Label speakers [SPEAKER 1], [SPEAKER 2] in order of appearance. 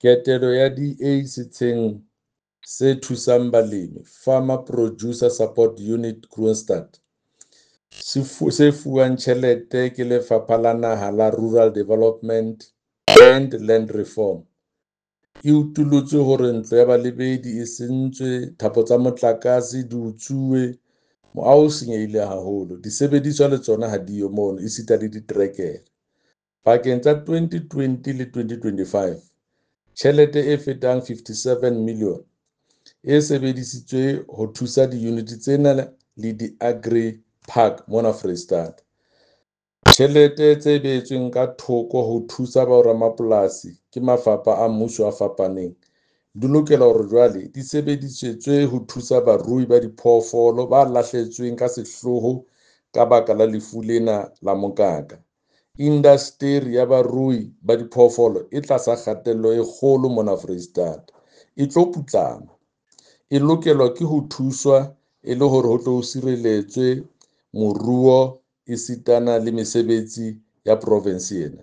[SPEAKER 1] Ketelo ya DA setsheng se thusang balemi, Farmer Producer Support Unit Kroonstad, se fuwang tjhelete ke Lefapha la Naha la Rural Development and Land Reform, e utullotse hore ntlo ya balebedi e sentswe, thapo tsa motlakase di utsuwe, moaho o senyehile haholo, disebediswa le tsona ha di yo mono esita le diterekere. Pakeng tsa 2020 le 2025, tjhelete e fetang R57 milione e sebedisitswe ho thusa diyunite tsena le di-agri-park mona Foreisetata. Tjhelete tse beetsweng ka thoko ho thusa boramapolasi ke mafapha a mmuso a fapaneng di lokela hore jwale di sebedisetswe ho thusa barui ba diphoofolo ba lahlehetsweng ka sehlooho ka baka la lefu lena la mokaka. Indasteri ya barui ba diphoofolo e tlasa kgatello e kgolo mona Foreisetata, e tlo putlama. E lokelwa ke ho thuswa e le hore ho tle ho sireletswe moruo esitana le mesebetsi ya provense ena.